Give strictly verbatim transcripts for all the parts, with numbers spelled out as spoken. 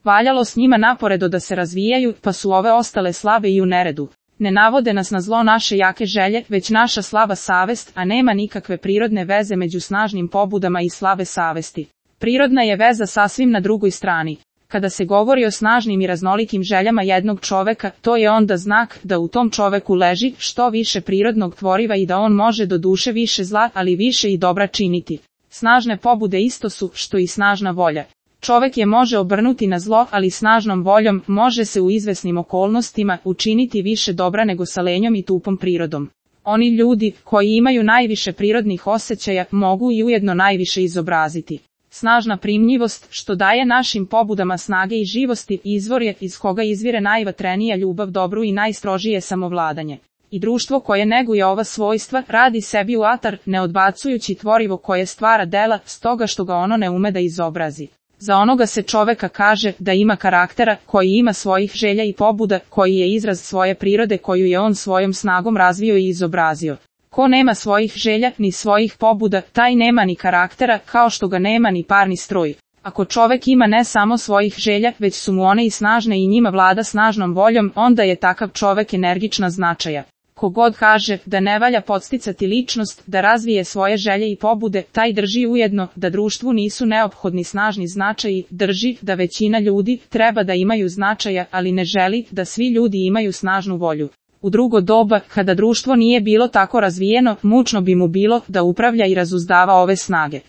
valjalo s njima naporedo da se razvijaju, pa su ove ostale slabe i u neredu. Ne navode nas na zlo naše jake želje, već naša slaba savest, a nema nikakve prirodne veze među snažnim pobudama i slabe savesti. Prirodna je veza sasvim na drugoj strani. Kada se govori o snažnim i raznolikim željama jednog čoveka, to je onda znak da u tom čoveku leži što više prirodnog tvoriva i da on može do duše više zla, ali više i dobra činiti. Snažne pobude isto su što i snažna volja. Čovek je može obrnuti na zlo, ali snažnom voljom može se u izvesnim okolnostima učiniti više dobra nego sa lenjom i tupom prirodom. Oni ljudi koji imaju najviše prirodnih osjećaja mogu i ujedno najviše izobraziti. Snažna primljivost, što daje našim pobudama snage i živosti, izvor je iz koga izvire najvatrenija ljubav dobru i najstrožije samovladanje. I društvo koje neguje ova svojstva radi sebi u atar, ne odbacujući tvorivo koje stvara dela, stoga što ga ono ne ume da izobrazi. Za onoga se čoveka kaže da ima karaktera, koji ima svojih želja i pobuda, koji je izraz svoje prirode koju je on svojom snagom razvio i izobrazio. Ko nema svojih želja ni svojih pobuda, taj nema ni karaktera, kao što ga nema ni parni stroj. Ako čovek ima ne samo svojih želja, već su mu one i snažne i njima vlada snažnom voljom, onda je takav čovek energična značaja. Kogod kaže da ne valja podsticati ličnost da razvije svoje želje i pobude, taj drži ujedno da društvu nisu neophodni snažni značaji, drži da većina ljudi treba da imaju značaja, ali ne želi da svi ljudi imaju snažnu volju. U drugo doba, kada društvo nije bilo tako razvijeno, mučno bi mu bilo da upravlja i razuzdava ove snage.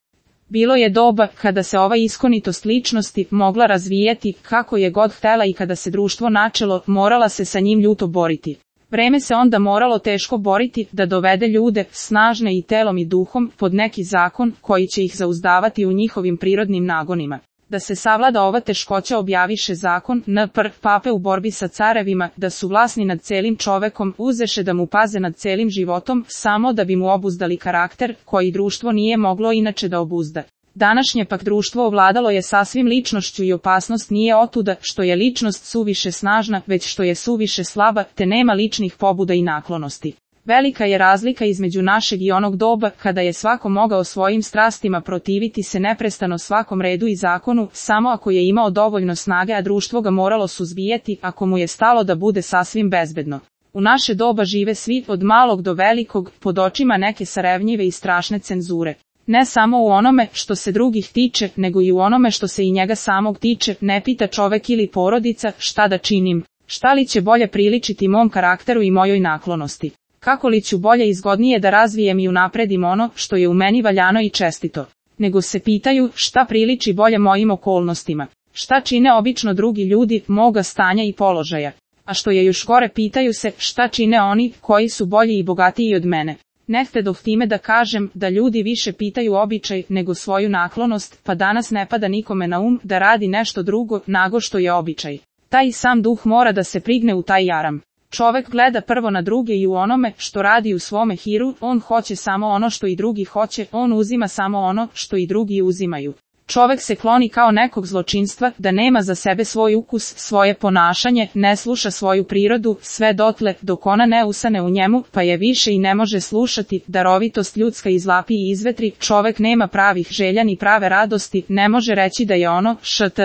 Bilo je doba kada se ova iskonitost ličnosti mogla razvijati kako je god htela i kada se društvo načelo, morala se sa njim ljuto boriti. Vreme se onda moralo teško boriti da dovede ljude, snažne i telom i duhom, pod neki zakon koji će ih zauzdavati u njihovim prirodnim nagonima. Da se savlada ova teškoća objaviše zakon N P R pape u borbi sa carevima, da su vlasni nad celim čovekom, uzeše da mu paze nad celim životom, samo da bi mu obuzdali karakter, koji društvo nije moglo inače da obuzda. Današnje pak društvo ovladalo je sasvim ličnošću i opasnost nije otuda što je ličnost suviše snažna, već što je suviše slaba, te nema ličnih pobuda i naklonosti. Velika je razlika između našeg i onog doba, kada je svako mogao svojim strastima protiviti se neprestano svakom redu i zakonu, samo ako je imao dovoljno snage, a društvo ga moralo suzbijati ako mu je stalo da bude sasvim bezbedno. U naše doba žive svi, od malog do velikog, pod očima neke sarevnjive i strašne cenzure. Ne samo u onome što se drugih tiče, nego i u onome što se i njega samog tiče, ne pita čovek ili porodica šta da činim, šta li će bolje priličiti mom karakteru i mojoj naklonosti. Kako li ću bolje i zgodnije da razvijem i unapredim ono što je u meni valjano i čestito, nego se pitaju šta priliči bolje mojim okolnostima, šta čine obično drugi ljudi moga stanja i položaja, a što je još gore pitaju se šta čine oni koji su bolji i bogatiji od mene. Ne htedoh time da kažem da ljudi više pitaju običaj nego svoju naklonost, pa danas ne pada nikome na um da radi nešto drugo nego što je običaj. Taj sam duh mora da se prigne u taj jaram. Čovek gleda prvo na druge i u onome što radi u svome hiru, on hoće samo ono što i drugi hoće, on uzima samo ono što i drugi uzimaju. Čovek se kloni kao nekog zločinstva, da nema za sebe svoj ukus, svoje ponašanje, ne sluša svoju prirodu, sve dotle dok ona ne usane u njemu, pa je više i ne može slušati, darovitost ljudska izlapi i izvetri, čovek nema pravih želja ni prave radosti, ne može reći da je ono, št.